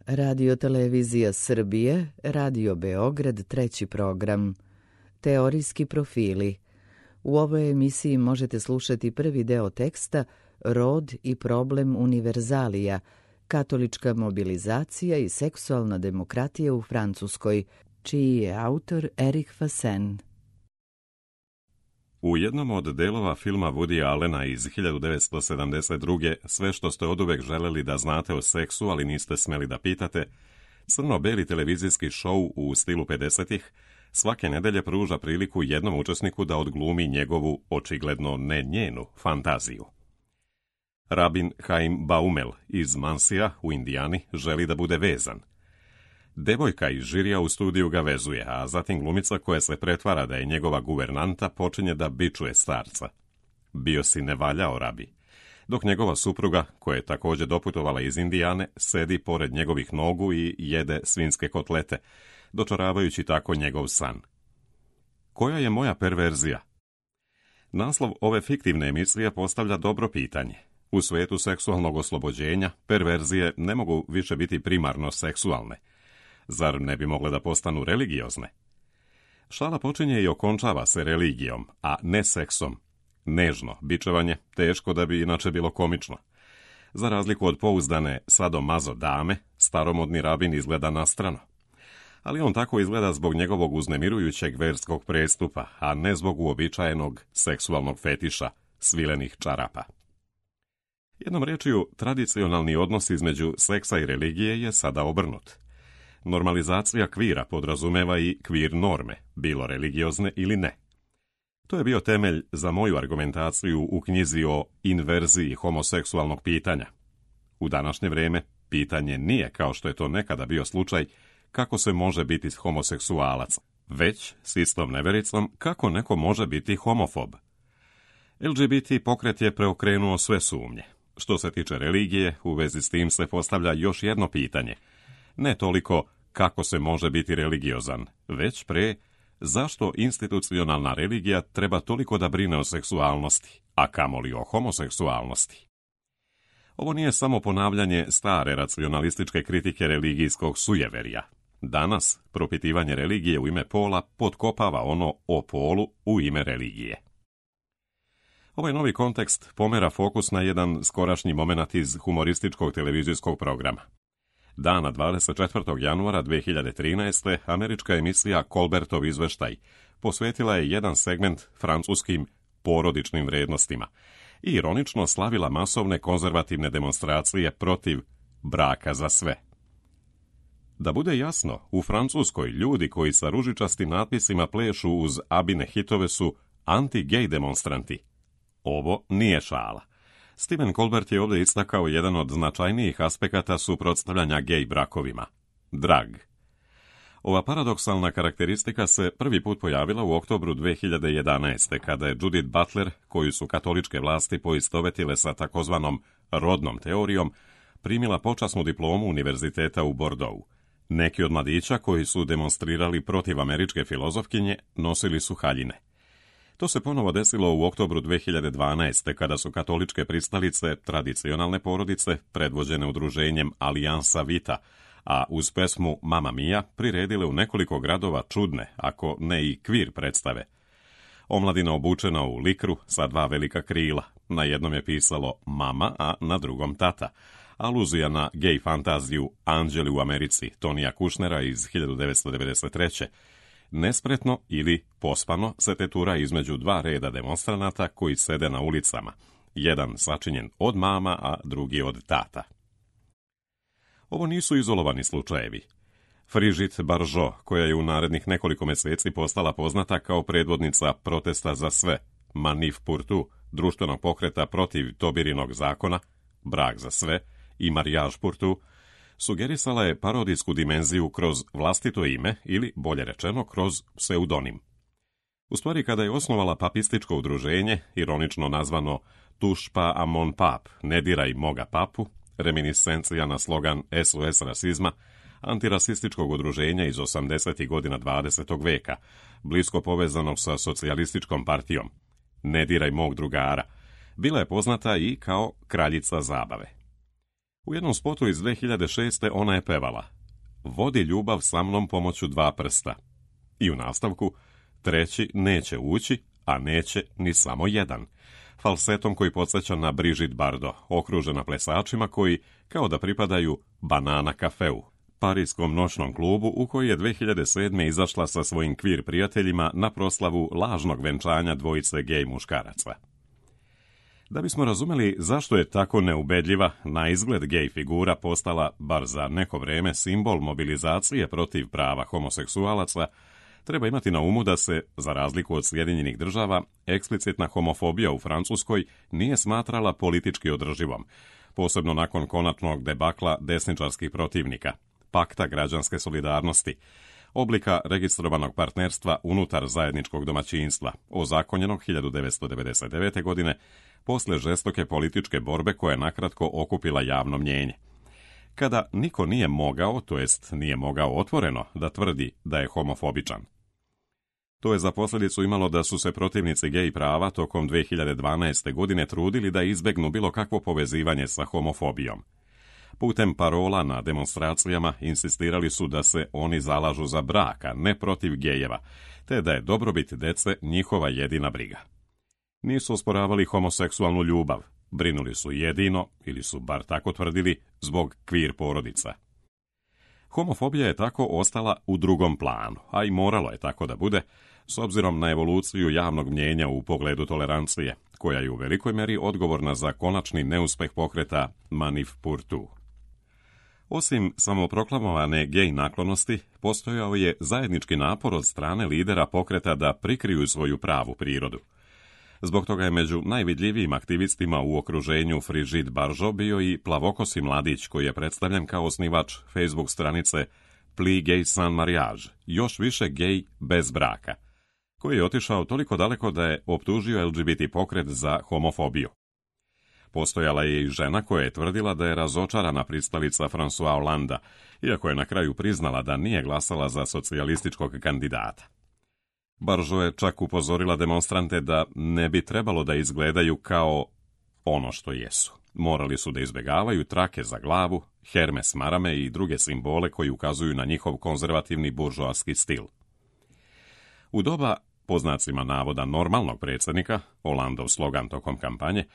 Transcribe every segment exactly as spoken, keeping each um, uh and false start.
Radio Televizija Srbije, Radio Beograd, treći program. Teorijski profili. U ovoj emisiji možete slušati prvi deo teksta Rod i problem univerzalija, katolička mobilizacija i seksualna demokratija u Francuskoj, čiji je autor Eric Fassen. U jednom od delova filma Woody Allena iz hiljadu devetsto sedamdeset druge. Sve što ste oduvek želeli da znate o seksu, ali niste smeli da pitate, crno-beli televizijski šou u stilu pedesetih svake nedelje pruža priliku jednom učesniku da odglumi njegovu, očigledno ne njenu, fantaziju. Rabin Haim Baumel iz Mansija u Indijani želi da bude vezan. Devojka iz žirija u studiju ga vezuje, a zatim glumica koja se pretvara da je njegova guvernanta počinje da bičuje starca. Bio si ne valjao, Rabi. Dok njegova supruga, koja je također doputovala iz Indijane, sedi pored njegovih nogu i jede svinjske kotlete, dočaravajući tako njegov san. Koja je moja perverzija? Naslov ove fiktivne emisije postavlja dobro pitanje. U svetu seksualnog oslobođenja, perverzije ne mogu više biti primarno seksualne. Zar ne bi mogle da postanu religiozne? Šala počinje i okončava se religijom, a ne seksom. Nežno, bičevanje, teško da bi inače bilo komično. Za razliku od pouzdane sadomazo dame, staromodni rabin izgleda nastrano. Ali on tako izgleda zbog njegovog uznemirujućeg verskog prestupa, a ne zbog uobičajenog seksualnog fetiša, svilenih čarapa. Jednom rečju, tradicionalni odnos između seksa i religije je sada obrnut. Normalizacija kvira podrazumeva i kvir norme, bilo religiozne ili ne. To je bio temelj za moju argumentaciju u knjizi o inverziji homoseksualnog pitanja. U današnje vrijeme pitanje nije, kao što je to nekada bio slučaj, kako se može biti homoseksualac, već s istom nevericom kako neko može biti homofob. L G B T pokret je preokrenuo sve sumnje. Što se tiče religije, u vezi s tim se postavlja još jedno pitanje. Ne toliko kako se može biti religiozan, već pre zašto institucionalna religija treba toliko da brine o seksualnosti, a kamoli o homoseksualnosti. Ovo nije samo ponavljanje stare racionalističke kritike religijskog sujeverja. Danas propitivanje religije u ime pola potkopava ono o polu u ime religije. Ovaj novi kontekst pomera fokus na jedan skorašnji moment iz humorističkog televizijskog programa. Dana dvadeset četvrtog januara dve hiljade trinaeste. američka emisija Colbertov izveštaj posvetila je jedan segment francuskim porodičnim vrednostima i ironično slavila masovne konzervativne demonstracije protiv braka za sve. Da bude jasno, u Francuskoj ljudi koji sa ružičastim natpisima plešu uz Abine hitove su anti-gej demonstranti. Ovo nije šala. Stephen Colbert je ovdje istakao jedan od značajnijih aspekata suprotstavljanja gej brakovima – drag. Ova paradoksalna karakteristika se prvi put pojavila u oktobru dve hiljade jedanaeste. kada je Judith Butler, koju su katoličke vlasti poistovetile sa takozvanom rodnom teorijom, primila počasnu diplomu univerziteta u Bordeauxu. Neki od mladića koji su demonstrirali protiv američke filozofkinje nosili su haljine. To se ponovo desilo u oktobru dve hiljade dvanaeste. kada su katoličke pristalice, tradicionalne porodice, predvođene udruženjem Aliansa Vita, a uz pesmu Mamma Mia priredile u nekoliko gradova čudne, ako ne i kvir predstave. Omladina obučena u likru sa dva velika krila. Na jednom je pisalo mama, a na drugom tata. Aluzija na gej fantaziju Anđeli u Americi Tonija Kušnera iz hiljadu devetsto devedeset treće. Nespretno ili pospano se tetura između dva reda demonstranata koji sede na ulicama, jedan sačinjen od mama, a drugi od tata. Ovo nisu izolovani slučajevi. Brigitte Bardot, koja je u narednih nekoliko mjeseci postala poznata kao predvodnica protesta za sve, Manif pour tout, društvenog pokreta protiv Tobirinog zakona, brak za sve i Mariage pour tout, sugerisala je parodijsku dimenziju kroz vlastito ime ili, bolje rečeno, kroz pseudonim. U stvari, kada je osnovala papističko udruženje, ironično nazvano Touche pas à mon pape, ne diraj moga papu, reminiscencija na slogan S O S rasizma, antirasističkog udruženja iz osamdesetih godina dvadesetog veka, blisko povezanog sa socijalističkom partijom, ne diraj mog drugara, bila je poznata i kao kraljica zabave. U jednom spotu iz dvije hiljade šeste. ona je pevala: "Vodi ljubav sa mnom pomoću dva prsta." I u nastavku: "Treći neće ući, a neće ni samo jedan." Falsetom koji podsjeća na Brigitte Bardot, okružena plesačima koji kao da pripadaju Banana Cafeu, parijskom noćnom klubu u koji je dvije hiljade sedme. izašla sa svojim kvir prijateljima na proslavu lažnog venčanja dvojice gej muškaraca. Da bismo razumeli zašto je tako neubedljiva, na izgled gej figura postala, bar za neko vreme, simbol mobilizacije protiv prava homoseksualaca, treba imati na umu da se, za razliku od Sjedinjenih država, eksplicitna homofobija u Francuskoj nije smatrala politički održivom, posebno nakon konačnog debakla desničarskih protivnika, pakta građanske solidarnosti, oblika registrovanog partnerstva unutar zajedničkog domaćinstva, ozakonjenog hiljadu devetsto devedeset devete. godine, posle žestoke političke borbe koja je nakratko okupila javno mnjenje. Kada niko nije mogao, to jest nije mogao otvoreno, da tvrdi da je homofobičan. To je za posljedicu imalo da su se protivnici gej prava tokom dvije hiljade dvanaeste. godine trudili da izbegnu bilo kakvo povezivanje sa homofobijom. Putem parola na demonstracijama insistirali su da se oni zalažu za brak, a ne protiv gejeva, te da je dobrobit dece njihova jedina briga. Nisu osporavali homoseksualnu ljubav, brinuli su jedino, ili su bar tako tvrdili, zbog kvir porodica. Homofobija je tako ostala u drugom planu, a i moralo je tako da bude, s obzirom na evoluciju javnog mnijenja u pogledu tolerancije, koja je u velikoj meri odgovorna za konačni neuspeh pokreta Manif pour tout. Osim samoproklamovane gej naklonosti, postojao je zajednički napor od strane lidera pokreta da prikriju svoju pravu prirodu. Zbog toga je među najvidljivijim aktivistima u okruženju Brigitte Bardot bio i plavokosi mladić koji je predstavljen kao osnivač Facebook stranice Plus gay sans mariage, još više gej bez braka, koji je otišao toliko daleko da je optužio L G B T pokret za homofobiju. Postojala je i žena koja je tvrdila da je razočarana pristalica François Hollanda, iako je na kraju priznala da nije glasala za socijalističkog kandidata. Bardot je čak upozorila demonstrante da ne bi trebalo da izgledaju kao ono što jesu. Morali su da izbjegavaju trake za glavu, hermes marame i druge simbole koji ukazuju na njihov konzervativni buržoaski stil. U doba, po znacima navoda, normalnog predsjednika, Hollandov slogan tokom kampanje,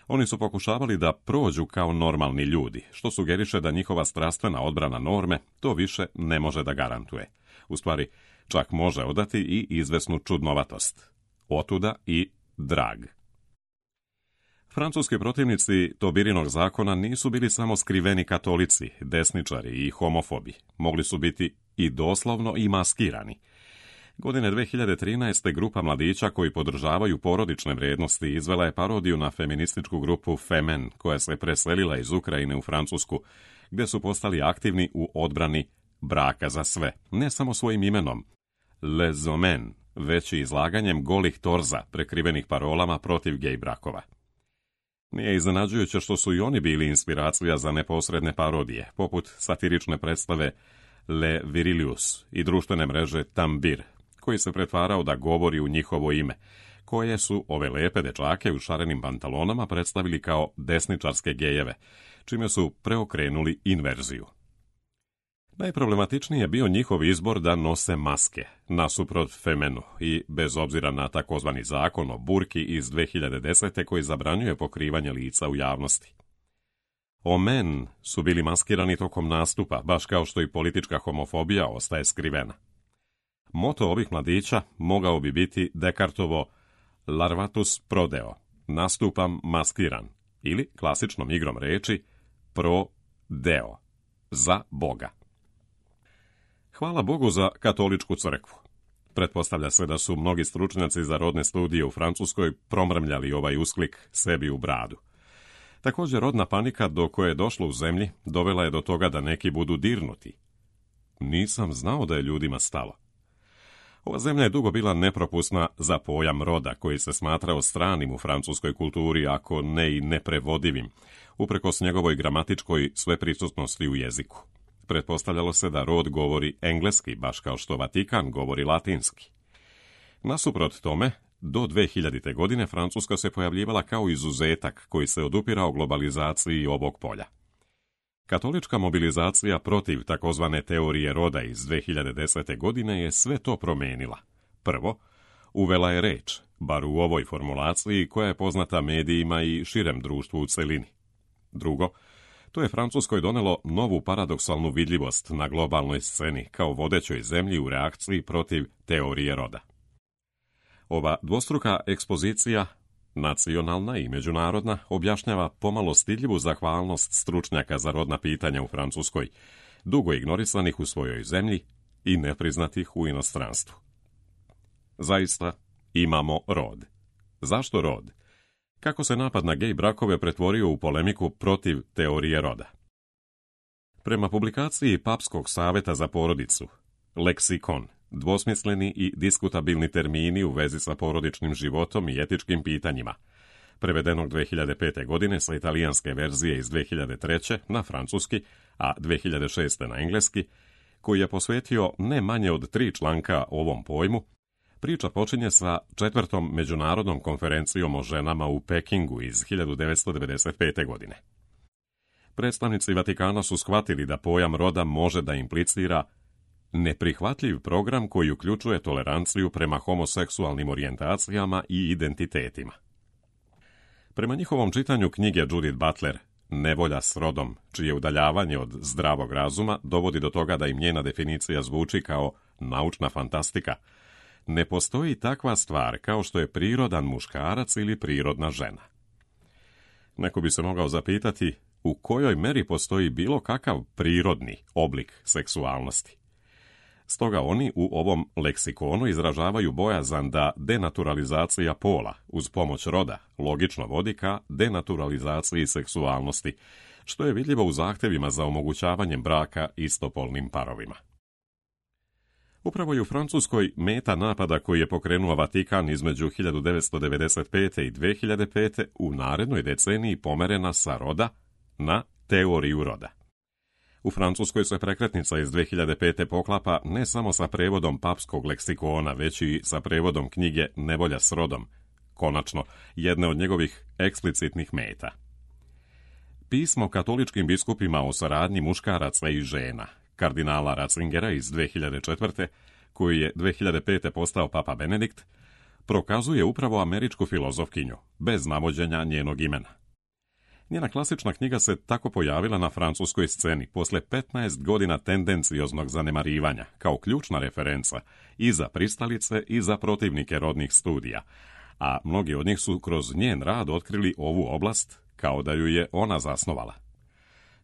oni su pokušavali da prođu kao normalni ljudi, što sugeriše da njihova strastvena odbrana norme to više ne može da garantuje. U stvari, čak može odati i izvesnu čudnovatost. Otuda i drag. Francuski protivnici Tobirinog zakona nisu bili samo skriveni katolici, desničari i homofobi. Mogli su biti i doslovno i maskirani. Godine dvije hiljade trinaeste. grupa mladića koji podržavaju porodične vrijednosti izvela je parodiju na feminističku grupu Femen, koja se preselila iz Ukrajine u Francusku, gdje su postali aktivni u odbrani braka za sve, ne samo svojim imenom, Les Hommes, već i izlaganjem golih torza prekrivenih parolama protiv gej brakova. Nije iznenađujuće što su i oni bili inspiracija za neposredne parodije, poput satirične predstave Le Virilius i društvene mreže Tambir, koji se pretvarao da govori u njihovo ime, koje su ove lepe dečake u šarenim pantalonama predstavili kao desničarske gejeve, čime su preokrenuli inverziju. Najproblematičniji je bio njihov izbor da nose maske, nasuprot Femenu, i bez obzira na takozvani zakon o burki iz dvije hiljade desete. koji zabranjuje pokrivanje lica u javnosti. Omen su bili maskirani tokom nastupa, baš kao što i politička homofobija ostaje skrivena. Moto ovih mladića mogao bi biti Descartovo Larvatus prodeo, nastupam maskiran, ili klasičnom igrom reči pro deo, za Boga. Hvala Bogu za katoličku crkvu. Pretpostavlja se da su mnogi stručnjaci za rodne studije u Francuskoj promrmljali ovaj usklik sebi u bradu. Također, rodna panika do koje je došlo u zemlji dovela je do toga da neki budu dirnuti. Nisam znao da je ljudima stalo. Ova zemlja je dugo bila nepropusna za pojam roda, koji se smatrao stranim u francuskoj kulturi, ako ne i neprevodivim, uprkos njegovoj gramatičkoj sveprisutnosti u jeziku. Pretpostavljalo se da rod govori engleski, baš kao što Vatikan govori latinski. Nasuprot tome, do dvije hiljadite. godine Francuska se pojavljivala kao izuzetak koji se odupirao globalizaciji ovog polja. Katolička mobilizacija protiv takozvane teorije roda iz dve hiljade desete. godine je sve to promijenila. Prvo, uvela je reč, bar u ovoj formulaciji koja je poznata medijima i širem društvu u celini. Drugo, to je Francuskoj donelo novu paradoksalnu vidljivost na globalnoj sceni kao vodećoj zemlji u reakciji protiv teorije roda. Ova dvostruka ekspozicija, nacionalna i međunarodna, objašnjava pomalo stidljivu zahvalnost stručnjaka za rodna pitanja u Francuskoj, dugo ignorisanih u svojoj zemlji i nepriznatih u inostranstvu. Zaista, imamo rod. Zašto rod? Kako se napad na gej brakove pretvorio u polemiku protiv teorije roda? Prema publikaciji Papskog saveta za porodicu, leksikon, dvosmisleni i diskutabilni termini u vezi sa porodičnim životom i etičkim pitanjima, prevedenog dve hiljade pete. godine sa italijanske verzije iz dve hiljade treće. na francuski, a dve hiljade šeste. na engleski, koji je posvetio ne manje od tri članka ovom pojmu, priča počinje sa četvrtom međunarodnom konferencijom o ženama u Pekingu iz hiljadu devetsto devedeset pete. godine. Predstavnici Vatikana su shvatili da pojam roda može da implicira neprihvatljiv program koji uključuje toleranciju prema homoseksualnim orijentacijama i identitetima. Prema njihovom čitanju knjige Judith Butler, Nevolja s rodom, čije udaljavanje od zdravog razuma dovodi do toga da im njena definicija zvuči kao naučna fantastika, ne postoji takva stvar kao što je prirodan muškarac ili prirodna žena. Neko bi se mogao zapitati u kojoj meri postoji bilo kakav prirodni oblik seksualnosti. Stoga oni u ovom leksikonu izražavaju bojazan da denaturalizacija pola uz pomoć roda logično vodi ka denaturalizaciji seksualnosti, što je vidljivo u zahtjevima za omogućavanjem braka istopolnim parovima. Upravo je u Francuskoj meta napada koji je pokrenuo Vatikan između hiljadu devetsto devedeset pete. i dve hiljade pete. u narednoj deceniji pomerena sa roda na teoriju roda. U Francuskoj se prekretnica iz dve hiljade pete. poklapa ne samo sa prevodom papskog leksikona, već i sa prevodom knjige Nevolja s rodom, konačno jedne od njegovih eksplicitnih meta. Pismo katoličkim biskupima o saradnji muškaraca i žena, kardinala Ratzingera iz dve hiljade četvrte. koji je dve hiljade pete. postao papa Benedikt, prokazuje upravo američku filozofkinju, bez navođenja njenog imena. Njena klasična knjiga se tako pojavila na francuskoj sceni posle petnaest godina tendencioznog zanemarivanja, kao ključna referenca i za pristalice i za protivnike rodnih studija, a mnogi od njih su kroz njen rad otkrili ovu oblast kao da ju je ona zasnovala.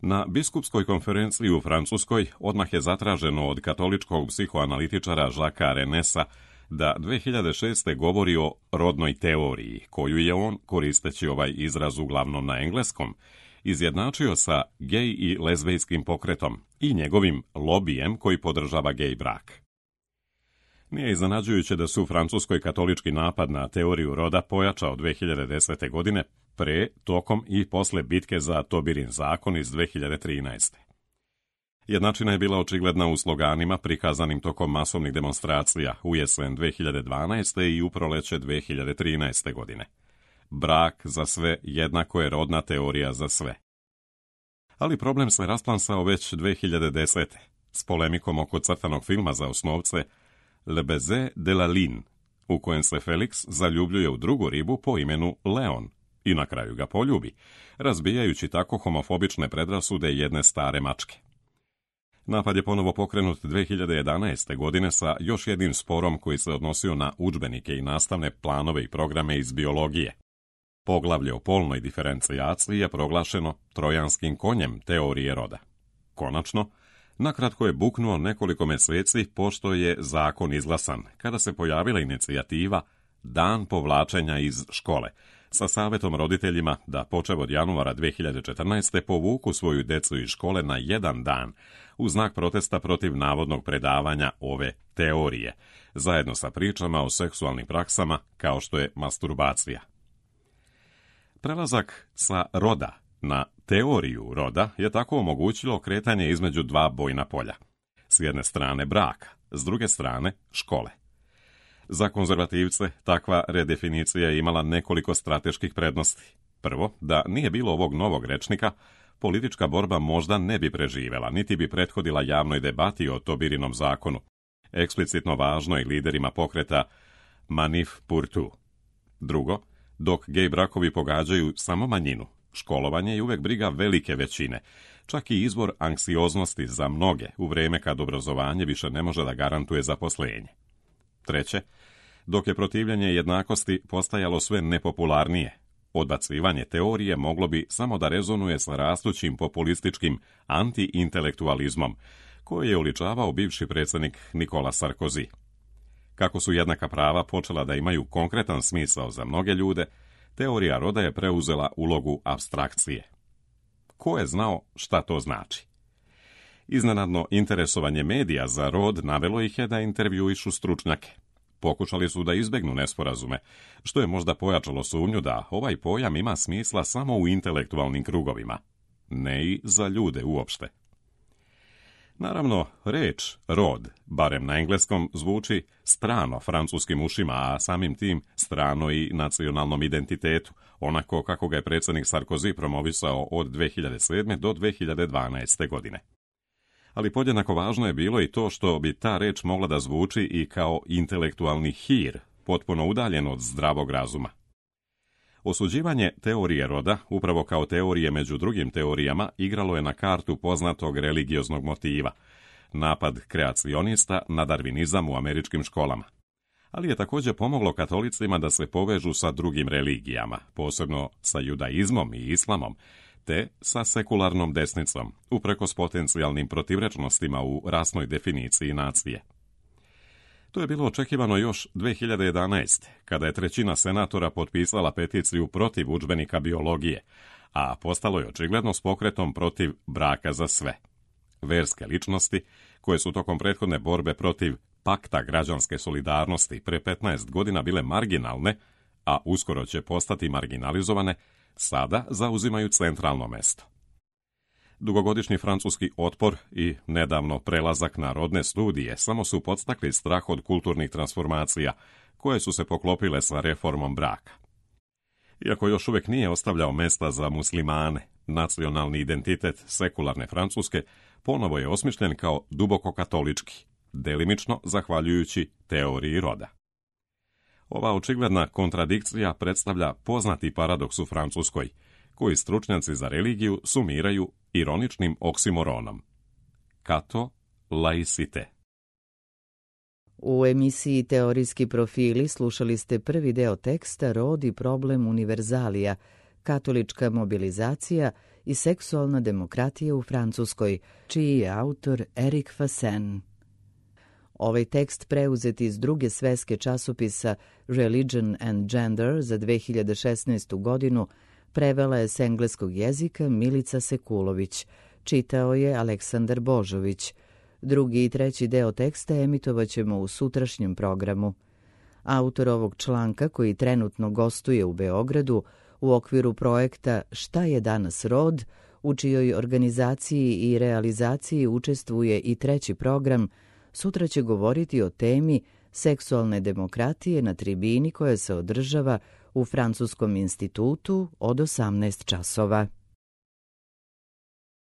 Na biskupskoj konferenciji u Francuskoj odmah je zatraženo od katoličkog psihoanalitičara Jacquesa Renesa da dve hiljade šeste. govori o rodnoj teoriji, koju je on, koristeći ovaj izraz uglavnom na engleskom, izjednačio sa gej i lezbejskim pokretom i njegovim lobijem koji podržava gej brak. Nije iznenađujuće da su u Francuskoj katolički napad na teoriju roda pojačao dve hiljade desete. godine, pre, tokom i posle bitke za Tobirin zakon iz dve hiljade trinaeste. Jednačina je bila očigledna u sloganima prikazanim tokom masovnih demonstracija u jesen dve hiljade dvanaeste. i u proleće dve hiljade trinaeste. godine. Brak za sve jednako je rodna teorija za sve. Ali problem se rasplansao već dve hiljade desete. s polemikom oko crtanog filma za osnovce Le baiser de la ligne, u kojem se Felix zaljubljuje u drugu ribu po imenu Leon i na kraju ga poljubi, razbijajući tako homofobične predrasude jedne stare mačke. Napad je ponovo pokrenut dve hiljade jedanaeste. godine sa još jednim sporom koji se odnosio na udžbenike i nastavne planove i programe iz biologije. Poglavlje o polnoj diferencijaciji je proglašeno trojanskim konjem teorije roda. Konačno, nakratko je buknuo nekoliko meseci pošto je zakon izglasan, kada se pojavila inicijativa Dan povlačenja iz škole, sa savjetom roditeljima da počev od januara dve hiljade četrnaeste. povuku svoju decu iz škole na jedan dan, u znak protesta protiv navodnog predavanja ove teorije, zajedno sa pričama o seksualnim praksama kao što je masturbacija. Prelazak sa roda na teoriju roda je tako omogućilo kretanje između dva bojna polja. S jedne strane braka, s druge strane škole. Za konzervativce takva redefinicija je imala nekoliko strateških prednosti. Prvo, da nije bilo ovog novog rečnika, politička borba možda ne bi preživela, niti bi prethodila javnoj debati o Tobirinom zakonu, eksplicitno važnoj liderima pokreta Manif pour tout. Drugo, dok gej brakovi pogađaju samo manjinu, školovanje je uvek briga velike većine, čak i izvor anksioznosti za mnoge u vrijeme kad obrazovanje više ne može da garantuje zaposlenje. Treće, dok je protivljenje jednakosti postajalo sve nepopularnije, odbacivanje teorije moglo bi samo da rezonuje sa rastućim populističkim anti-intelektualizmom, koji je uličavao bivši predsjednik Nikola Sarkozy. Kako su jednaka prava počela da imaju konkretan smisao za mnoge ljude, teorija roda je preuzela ulogu apstrakcije. Ko je znao šta to znači? Iznenadno interesovanje medija za rod navelo ih je da intervjuišu stručnjake. Pokušali su da izbegnu nesporazume, što je možda pojačalo sumnju da ovaj pojam ima smisla samo u intelektualnim krugovima, ne i za ljude uopšte. Naravno, reč rod, barem na engleskom, zvuči strano francuskim ušima, a samim tim strano i nacionalnom identitetu, onako kako ga je predsjednik Sarkozy promovisao od dve hiljade sedme. do dve hiljade dvanaeste. godine. Ali podjednako važno je bilo i to što bi ta reč mogla da zvuči i kao intelektualni hir, potpuno udaljen od zdravog razuma. Osuđivanje teorije roda, upravo kao teorije među drugim teorijama, igralo je na kartu poznatog religioznog motiva, napad kreacionista na darvinizam u američkim školama. Ali je također pomoglo katolicima da se povežu sa drugim religijama, posebno sa judaizmom i islamom, te sa sekularnom desnicom, uprkos potencijalnim protivrečnostima u rasnoj definiciji nacije. To je bilo očekivano još dve hiljade jedanaeste. kada je trećina senatora potpisala peticiju protiv udžbenika biologije, a postalo je očigledno s pokretom protiv braka za sve. Verske ličnosti, koje su tokom prethodne borbe protiv pakta građanske solidarnosti pre petnaest godina bile marginalne, a uskoro će postati marginalizovane, sada zauzimaju centralno mesto. Dugogodišnji francuski otpor i nedavno prelazak na rodne studije samo su podstakli strah od kulturnih transformacija, koje su se poklopile sa reformom braka. Iako još uvijek nije ostavljao mesta za muslimane, nacionalni identitet sekularne Francuske ponovo je osmišljen kao duboko katolički, delimično zahvaljujući teoriji roda. Ova očigledna kontradikcija predstavlja poznati paradoks u Francuskoj, koji stručnjaci za religiju sumiraju ironičnim oksimoronom. Kato laicite. U emisiji Teorijski profili slušali ste prvi deo teksta Rod i problem univerzalija, katolička mobilizacija i seksualna demokratija u Francuskoj, čiji je autor Eric Fassen. Ovaj tekst preuzet iz druge sveske časopisa Religion and Gender za dve hiljade šesnaestu. godinu prevela je s engleskog jezika Milica Sekulović, čitao je Aleksandar Božović. Drugi i treći deo teksta emitovat ćemo u sutrašnjem programu. Autor ovog članka, koji trenutno gostuje u Beogradu u okviru projekta Šta je danas rod, u čijoj organizaciji i realizaciji učestvuje i treći program, sutra će govoriti o temi seksualne demokratije na tribini koja se održava u Francuskom institutu od osamnaest časova.